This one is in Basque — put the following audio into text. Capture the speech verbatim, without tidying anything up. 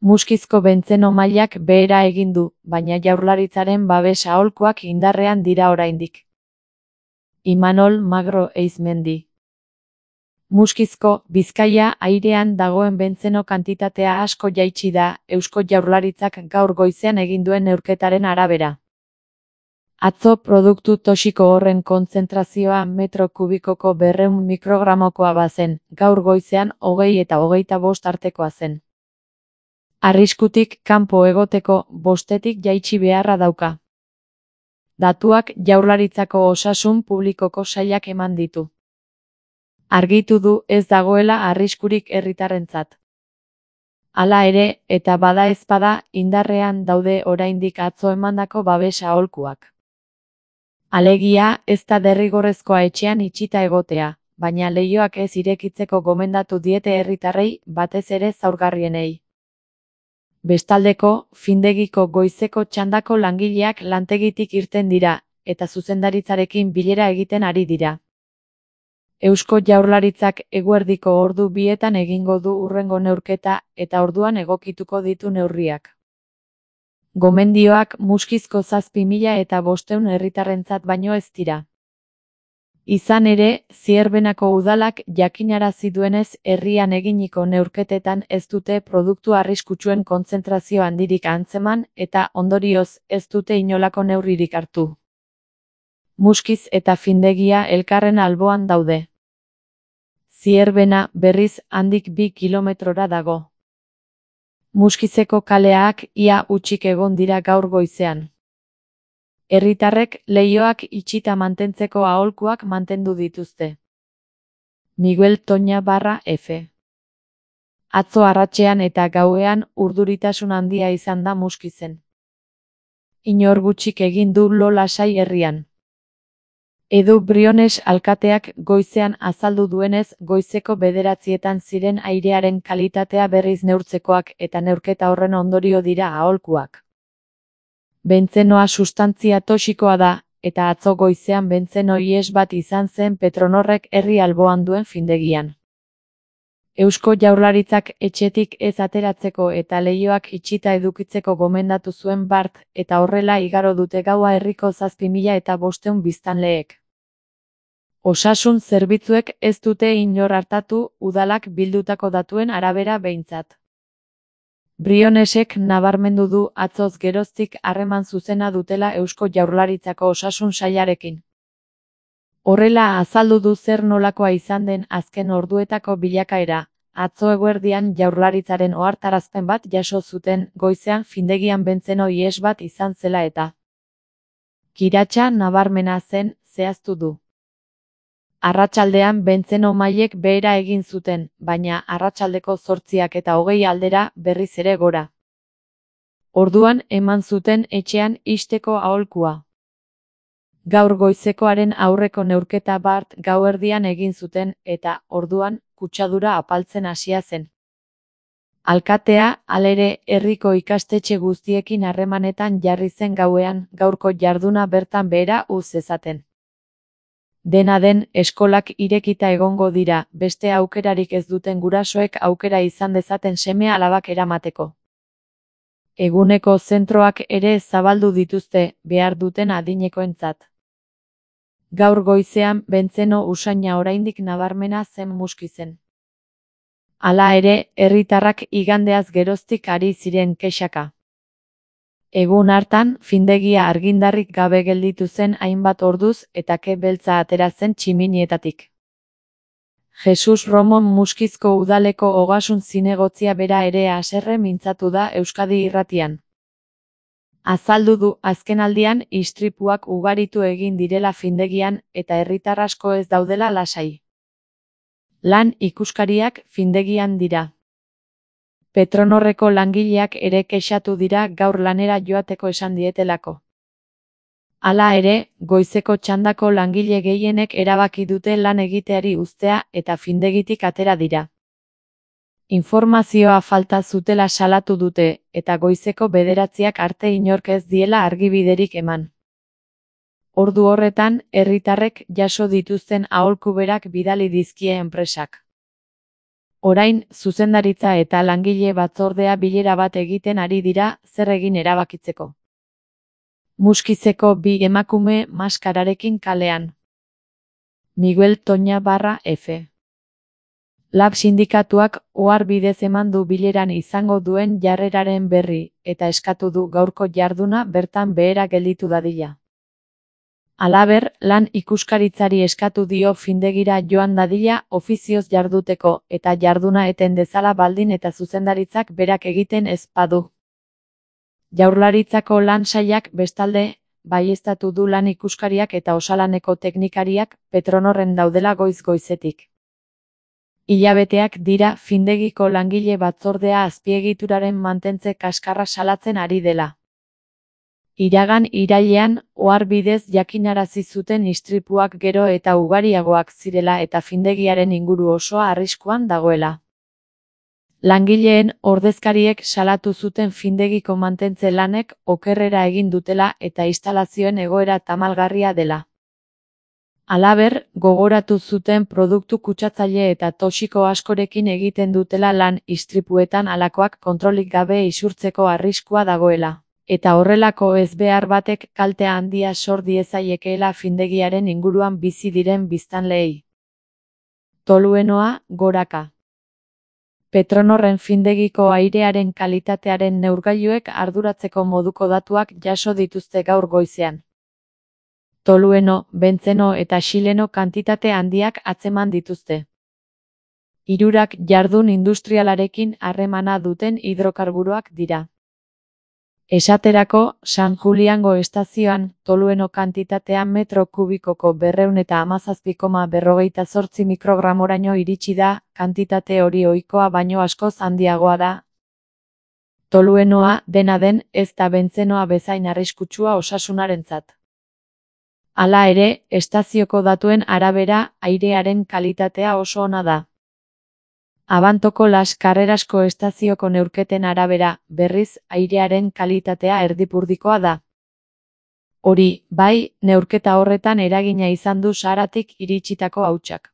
Muskizko bentzeno mailak behera egin du, baina Jaurlaritzaren babes aholkuak indarrean dira oraindik. Imanol Magro Eizmendi. Muskizko, Bizkaia airean dagoen bentzeno kantitatea asko jaitsi da, Eusko Jaurlaritzak gaur goizean egin duen neurketaren arabera. Atzo produktu toxiko horren kontzentrazioa metro kubikoko berrehun mikrogramokoa bazen, gaur goizean hogei eta hogeita bost artekoa zen. Arriskutik kanpo egoteko bostetik jaitsi beharra dauka. Datuak Jaurlaritzako Osasun Publikoko sailak eman ditu. Argitu du ez dagoela arriskurik herritarrentzat. Hala ere, eta bada ezpada, indarrean daude oraindik atzo emandako babes aholkuak. Alegia, ez da derrigorrezkoa etxean itxita egotea, baina leihoak ez irekitzeko gomendatu diete herritarrei, batez ere zaurgarrienei. Bestaldeko, findegiko goizeko txandako langileak lantegitik irten dira, eta zuzendaritzarekin bilera egiten ari dira. Eusko Jaurlaritzak eguerdiko ordu bietan egingo du hurrengo neurketa eta orduan egokituko ditu neurriak. Gomendioak Muskizko zazpi mila eta bostehun herritarrentzat baino ez dira. Izan ere, Zierbenako udalak jakinarazi duenez herrian eginiko neurketetan ez dute produktu arriskutsuen kontzentrazio handirik antzeman eta ondorioz ez dute inolako neurririk hartu. Muskiz eta findegia elkarren alboan daude. Zierbena, berriz, handik bi kilometrora dago. Muskizeko kaleak ia hutsik egon dira gaur goizean. Herritarrek leihoak itxita mantentzeko aholkuak mantendu dituzte. Miguel Toña barra F. Atzo arratsean eta gauean urduritasun handia izan da Muskizen. Inor gutxik egin du lo lasai herrian. Edu Briones alkateak goizean azaldu duenez goizeko bederatzietan ziren airearen kalitatea berriz neurtzekoak eta neurketa horren ondorio dira aholkuak. Bentzenoa sustantzia toxikoa da, eta atzo goizean bentzeno ihes bat izan zen Petronorrek herri alboan duen findegian. Eusko Jaurlaritzak etxetik ez ateratzeko eta leihoak itxita edukitzeko gomendatu zuen bart, eta horrela igaro dute gaua herriko zazpi mila eta bostehun biztanleek. Osasun zerbitzuek ez dute inor artatu udalak bildutako datuen arabera behintzat. Brionesek nabarmendu du atzoz geroztik harreman zuzena dutela Eusko Jaurlaritzako Osasun Sailarekin. Horrela azaldu du zer nolakoa izan den azken orduetako bilakaera, atzo eguerdian Jaurlaritzaren ohartarazpen bat jaso zuten goizean findegian bentzeno ihes bat izan zela eta. Kiratsa nabarmena zen, zehaztu du. Arratsaldean bentzeno mailek behera egin zuten, baina arratsaldeko zortziak eta hogei aldera berriz ere gora. Orduan eman zuten etxean ixteko aholkua. Gaur goizekoaren aurreko neurketa bart gauerdian egin zuten eta, orduan, kutsadura apaltzen hasia zen. Alkatea, halere, herriko ikastetxe guztiekin harremanetan jarri zen gauean, gaurko jarduna bertan behera uz ezaten. Dena den, eskolak irekita egongo dira, beste aukerarik ez duten gurasoek aukera izan dezaten seme alabak eramateko. Eguneko zentroak ere zabaldu dituzte, behar duten adinekoentzat. Gaur goizean bentzeno usaina oraindik nabarmena zen Muskizen. Hala ere, herritarrak igandeaz geroztik ari ziren kexaka. Egun hartan, findegia argindarrik gabe gelditu zen hainbat orduz eta ke beltza atera zen tximinietatik. Jesus Romon Muskizko udaleko ogasun zinegotzia bera ere haserre mintzatu da Euskadi Irratian. Azaldu du azkenaldian istripuak ugaritu egin direla findegian eta herritar asko ez daudela lasai. Lan ikuskariak findegian dira. Petronorreko langileak ere kexatu dira gaur lanera joateko esan dietelako. Hala ere, goizeko txandako langile gehienek erabaki dute lan egiteari uztea eta findegitik atera dira. Informazioa falta zutela salatu dute, eta goizeko bederatziak arte inork ez diela argibiderik eman. Ordu horretan, herritarrek jaso dituzten aholku berak bidali dizkie enpresak. Orain, zuzendaritza eta langile batzordea bilera bat egiten ari dira zer egin erabakitzeko. Muskizeko bi emakume maskararekin kalean. Miguel Toña barra F. Lab sindikatuak ohar bidez eman du bileran izango duen jarreraren berri, eta eskatu du gaurko jarduna bertan behera gelditu dadila. Halaber, lan ikuskaritzari eskatu dio findegira joan dadila ofizioz jarduteko eta jarduna eten dezala baldin eta zuzendaritzak berak egiten ez badu. Jaurlaritzako lan sailak bestalde, baieztatu du lan ikuskariak eta osalaneko teknikariak Petronorren daudela goiz-goizetik. Hilabeteak dira findegiko langile batzordea azpiegituraren mantentze kaskarra salatzen ari dela. Iragan irailean, ohar bidez jakinarazi zuten istripuak gero eta ugariagoak zirela eta findegiaren inguru osoa arriskuan dagoela. Langileen ordezkariek salatu zuten findegiko mantentze lanek okerrera egin dutela eta instalazioen egoera tamalgarria dela. Halaber, gogoratu zuten produktu kutsatzaile eta toxiko askorekin egiten dutela lan istripuetan halakoak kontrolik gabe isurtzeko arriskua dagoela, eta horrelako ezbehar batek kalte handia sor diezaiekeela findegiaren inguruan bizi diren biztanleei. Toluenoa, goraka. Petronorren findegiko airearen kalitatearen neurgailuek arduratzeko moduko datuak jaso dituzte gaur goizean. Tolueno, bentzeno eta xileno kantitate handiak atzeman dituzte. Hirurak jardun industrialarekin harremana duten hidrokarburoak dira. Esaterako, San Juliango estazioan, Tolueno kantitatea metro kubikoko berrehun eta hamazazpi koma berrogeita zortzi mikrogramoraino iritsi da, kantitate hori ohikoa baino askoz handiagoa da. Toluenoa, dena den, ez da bentzenoa bezain arriskutsua osasunarentzat. Hala ere, estazioko datuen arabera, airearen kalitatea oso ona da. Abantoko Las Carrerasko estazioko neurketen arabera, berriz, airearen kalitatea erdipurdikoa da. Hori, bai, neurketa horretan eragina izan du Saharatik iritsitako hautsak.